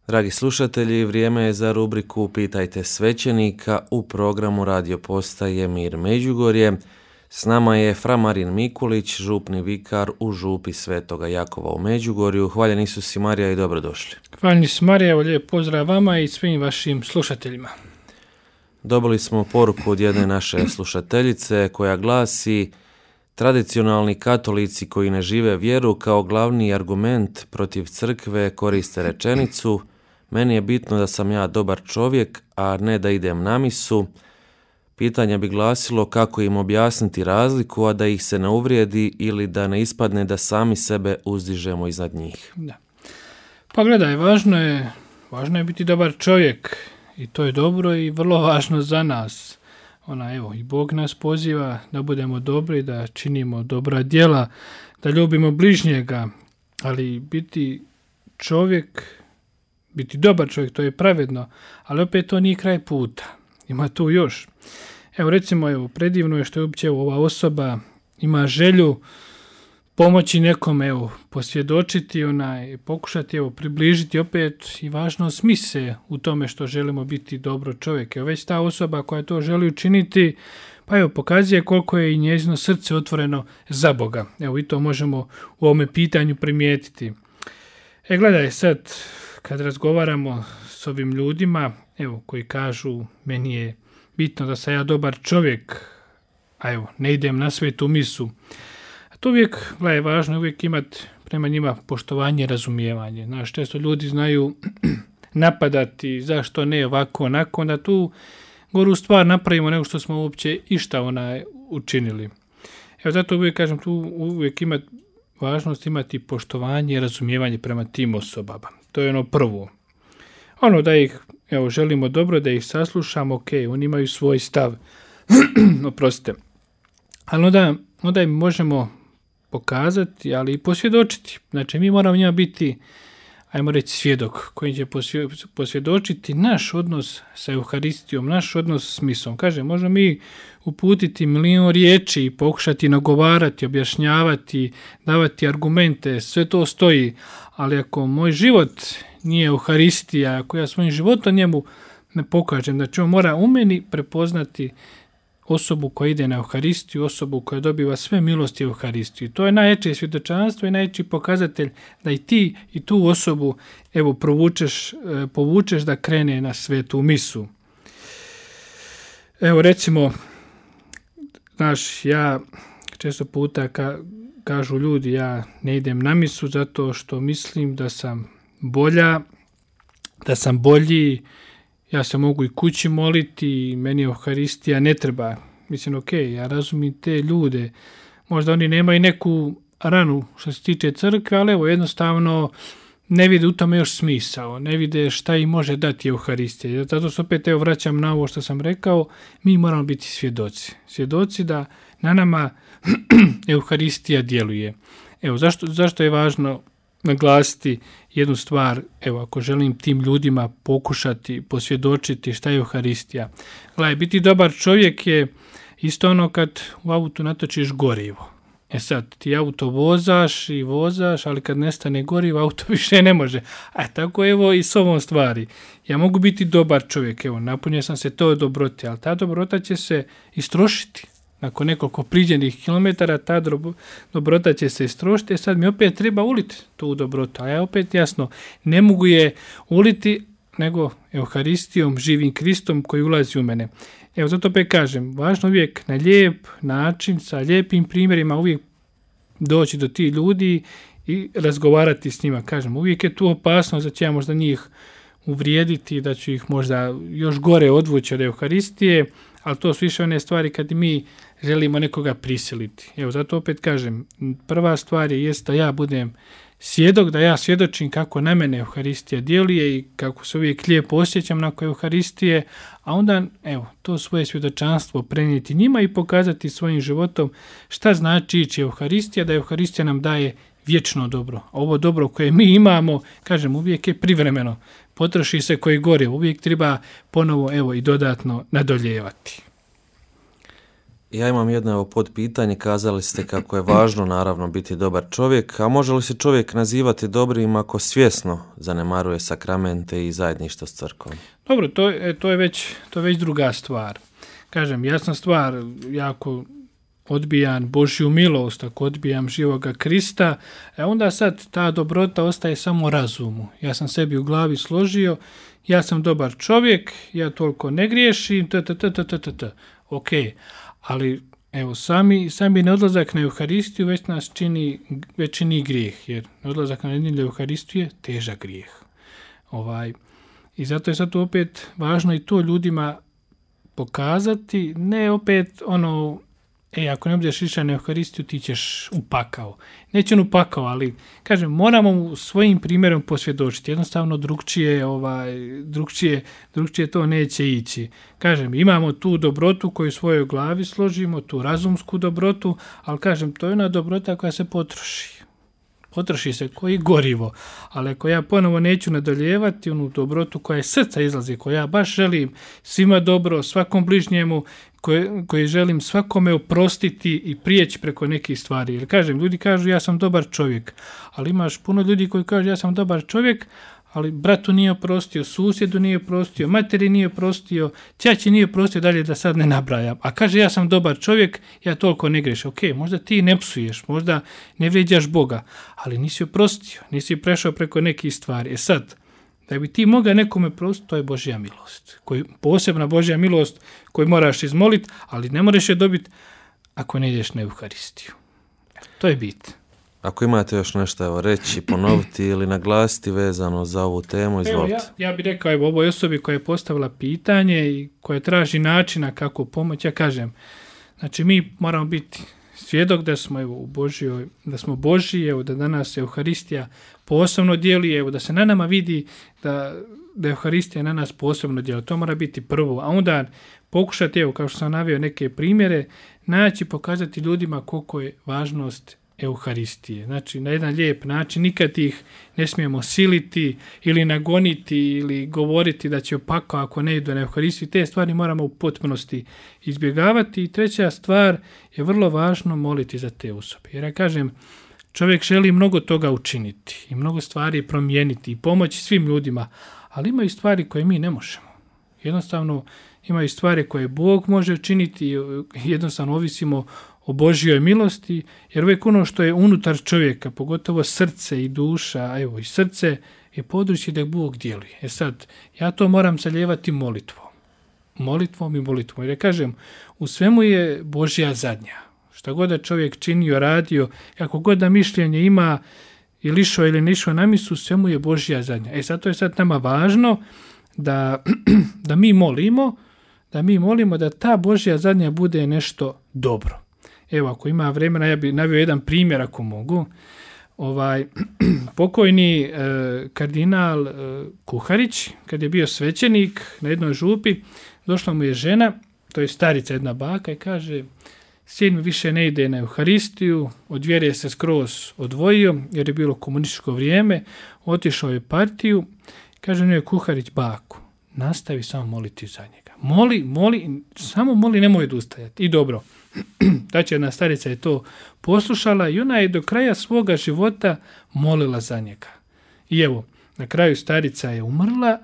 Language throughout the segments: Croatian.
Dragi slušatelji, vrijeme je za rubriku Pitajte svećenika u programu Radio Postaje Mir Međugorje. S nama je fra Marin Mikulić, župni vikar u župi Svetoga Jakova u Međugorju. Hvaljen Isus i Marija i dobrodošli. Hvaljen Isus Marija, evo lijep pozdrav vama i svim vašim slušateljima. Dobili smo poruku od jedne naše slušateljice koja glasi: tradicionalni katolici koji ne žive vjeru kao glavni argument protiv crkve koriste rečenicu: meni je bitno da sam ja dobar čovjek, a ne da idem na misu. Pitanje bi glasilo kako im objasniti razliku, a da ih se ne uvrijedi ili da ne ispadne da sami sebe uzdižemo iznad njih. Da. Pa gledaj, važno je biti dobar čovjek i to je dobro i vrlo važno za nas. I Bog nas poziva da budemo dobri, da činimo dobra djela, da ljubimo bližnjega, ali biti dobar čovjek, to je pravedno, ali opet to nije kraj puta. Ima tu još. Predivno je što je uopće ova osoba ima želju pomoći nekome, posvjedočiti, pokušati približiti opet i važno smise u tome što želimo biti dobro čovjek. Već ta osoba koja to želi učiniti, pokazuje koliko je i njezino srce otvoreno za Boga. I to možemo u ovome pitanju primijetiti. Gledaj sad, kad razgovaramo s ovim ljudima, koji kažu meni je bitno da sam ja dobar čovjek, ne idem na svetu misu. To uvijek je važno, uvijek imati prema njima poštovanje i razumijevanje. Često ljudi znaju napadati, zašto ne ovako, onako, onda tu goru stvar napravimo nego što smo uopće išta učinili. Zato uvijek kažem, tu uvijek ima važnost imati poštovanje i razumijevanje prema tim osobama. To je ono prvo. Da ih želimo dobro, da ih saslušamo, oni imaju svoj stav, oprostite. Ali onda im možemo pokazati, ali i posvjedočiti. Znači, mi moramo njima biti, svjedok koji će posvjedočiti naš odnos sa Euharistijom, naš odnos s misom. Možemo mi uputiti milion riječi i pokušati nagovarati, objašnjavati, davati argumente, sve to stoji, ali ako moj život nije Euharistija, ako ja svojim životom njemu ne pokažem, znači on mora u meni prepoznati osobu koja ide na Euharistiju, osobu koja dobiva sve milosti Euharistiju. To je najjače svjedočanstvo i najjači pokazatelj da i ti i tu osobu povučeš da krene na svetu misu. Recimo, ja često puta kažu ljudi, ja ne idem na misu zato što mislim da sam bolji, ja se mogu i kući moliti, meni Euharistija ne treba. Mislim, ja razumijem te ljude. Možda oni nemaju neku ranu što se tiče crkve, ali jednostavno ne vide u tome još smisao. Ne vide šta im može dati Euharistija. Zato se opet vraćam na ovo što sam rekao. Mi moramo biti svjedoci. Svjedoci da na nama Euharistija djeluje. Zašto je važno naglasiti jednu stvar, ako želim tim ljudima pokušati posvjedočiti šta je Euharistija. Biti dobar čovjek je isto ono kad u autu natočiš gorivo. Sad, ti auto vozaš, ali kad nestane gorivo, auto više ne može. Tako i s ovom stvari. Ja mogu biti dobar čovjek, napunio sam se to dobroti, ali ta dobrota će se istrošiti. Nakon nekoliko priđenih kilometara ta dobrota će se istrošiti, sad mi opet treba uliti tu dobrotu. A ja opet jasno, ne mogu je uliti nego Euharistijom, živim Kristom koji ulazi u mene. Zato opet kažem, važno uvijek na lijep način, sa lijepim primjerima uvijek doći do tih ljudi i razgovarati s njima. Kažem, uvijek je tu opasnost da će ja možda njih uvrijediti, da ću ih možda još gore odvući od Euharistije, ali to su više one stvari kad mi želimo nekoga prisiliti. Zato opet kažem, prva stvar jest da ja budem svjedok, da ja svjedočim kako na mene Euharistija djeluje i kako se uvijek lijepo osjećam nakon Euharistije, a onda to svoje svjedočanstvo prenijeti njima i pokazati svojim životom šta znači ići Euharistija, da Euharistija nam daje vječno dobro. A ovo dobro koje mi imamo, kažem, uvijek je privremeno. Potroši se koji gore, uvijek treba ponovo i dodatno nadoljevati. Ja imam jedno podpitanje, kazali ste kako je važno naravno biti dobar čovjek, a može li se čovjek nazivati dobrim ako svjesno zanemaruje sakramente i zajedništvo s crkvom? Dobro, to je već druga stvar. Kažem, jasna stvar, jako odbijam Božju milost, ako odbijam živoga Krista, onda sad ta dobrota ostaje samo razumu. Ja sam sebi u glavi složio, ja sam dobar čovjek, ja toliko ne griješim, ok, ali evo sami neodlazak na Euharistiju već čini grijeh, jer neodlazak na nedjelju Euharistiju je težak grijeh. I zato je sad opet važno i to ljudima pokazati, ne opet ako ne budeš išao na Euharistiju, ti ćeš u pakao. Neće on u pakao, ali kažem, moramo svojim primjerom posvjedočiti. Jednostavno drugčije to neće ići. Kažem, imamo tu dobrotu koju u svojoj glavi složimo, tu razumsku dobrotu, ali kažem, to je ona dobrota koja se potroši. Potroši se koji gorivo, ali ako ja ponovo neću nadoljevati onu dobrotu koja iz srca izlazi, koja ja baš želim svima dobro, svakom bližnjemu, koji želim svakome oprostiti i prijeći preko nekih stvari. Jer kažem, ljudi kažu ja sam dobar čovjek, ali imaš puno ljudi koji kažu ja sam dobar čovjek, ali bratu nije oprostio, susjedu nije oprostio, materi nije oprostio, ćaći nije oprostio, dalje da sad ne nabrajam. A kaže ja sam dobar čovjek, ja toliko ne grešim. Ok, možda ti ne psuješ, možda ne vrijeđaš Boga, ali nisi oprostio, nisi prešao preko nekih stvari. Sad, da bi ti mogao nekome prostiti, to je Božja milost. Posebna Božja milost koju moraš izmoliti, ali ne moraš je dobiti ako ne ideš na Euharistiju. To je bit. Ako imate još nešto reći, ponoviti ili naglasiti vezano za ovu temu, izvolite. Ja bih rekao ovoj osobi koja je postavila pitanje i koja traži načina kako pomoći, ja kažem, znači mi moramo biti svjedok da smo u Božjoj, da smo Božji, da danas Euharistija posebno dijeli, da se na nama vidi da Euharistija na nas posebno dijeli. To mora biti prvo, a onda pokušati, kao što sam naveo neke primjere, naći, pokazati ljudima koliko je važnost Euharistije. Znači, na jedan lijep način, nikad ih ne smijemo siliti ili nagoniti ili govoriti da će opako ako ne idu na Euharistiju. Te stvari moramo u potpunosti izbjegavati. I treća stvar je vrlo važno moliti za te osobe. Jer ja kažem, čovjek želi mnogo toga učiniti i mnogo stvari promijeniti i pomoći svim ljudima, ali imaju stvari koje mi ne možemo. Jednostavno, imaju stvari koje Bog može učiniti i jednostavno ovisimo o Božjoj milosti, jer uvijek ono što je unutar čovjeka, pogotovo srce i duša, i srce je područje da Bog djeluje. Sad, ja to moram zalijevati molitvom. Molitvom. Jer ja kažem, u svemu je Božja zadnja. Šta god da čovjek činio, radio, kako god da mišljenje ima ili išao ili ne išao na misu, svemu je Božja zadnja. Zato je sad nama važno da mi molimo da ta Božja zadnja bude nešto dobro. Evo, ako ima vremena, ja bih naveo jedan primjer ako mogu. Pokojni kardinal Kuharić, kad je bio svećenik na jednoj župi, došla mu je žena, to je starica jedna baka, i kaže, sin mi više ne ide na Euharistiju, od vjere se skroz odvojio, jer je bilo komunističko vrijeme, otišao je partiju, kaže njoj Kuharić, bako, nastavi samo moliti za njega. Samo moli, nemoj odustajati. I dobro, znači jedna starica je to poslušala i ona je do kraja svoga života molila za njega. I evo, na kraju starica je umrla,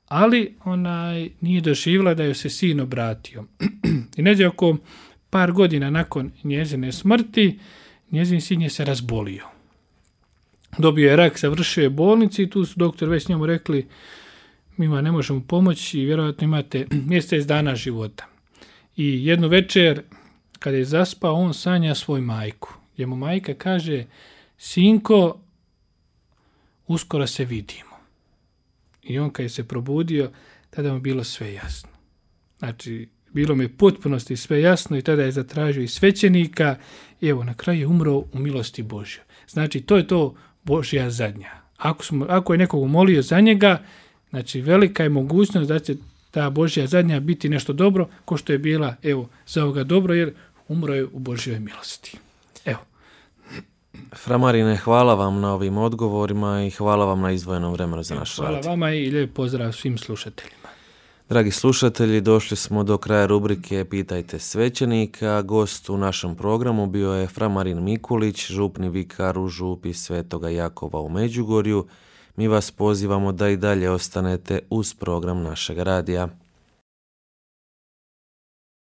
ali ona nije doživjela da joj se sin obratio. I negdje oko par godina nakon njezine smrti, njezin sin je se razbolio. Dobio je rak, završio je bolnici i tu su doktor već njemu rekli, mi vam ne možemo pomoći i vjerojatno imate mjesec dana života. I jednu večer, kada je zaspao, on sanja svoju majku. Gdje mu majka kaže, sinko, uskoro se vidimo. I on kad je se probudio, tada mu bilo sve jasno. Znači, bilo mi je potpunosti sve jasno i tada je zatražio i svećenika. I evo, na kraju je umro u milosti Božjoj. Znači, to je to Božja zadnja. Ako je nekog molio za njega, znači, velika je mogućnost da će ta Božja zadnja biti nešto dobro, ko što je bila, evo, za ovoga dobro, jer umro je u Božjoj milosti. Evo. Fra Marine, hvala vam na ovim odgovorima i hvala vam na izdvojenom vremenu za naš rad. Hvala vama i lijep pozdrav svim slušateljima. Dragi slušatelji, došli smo do kraja rubrike Pitajte svećenika. Gost u našem programu bio je fra Marin Mikulić, župni vikar u župi Svetoga Jakova u Međugorju. Mi vas pozivamo da i dalje ostanete uz program našeg radija.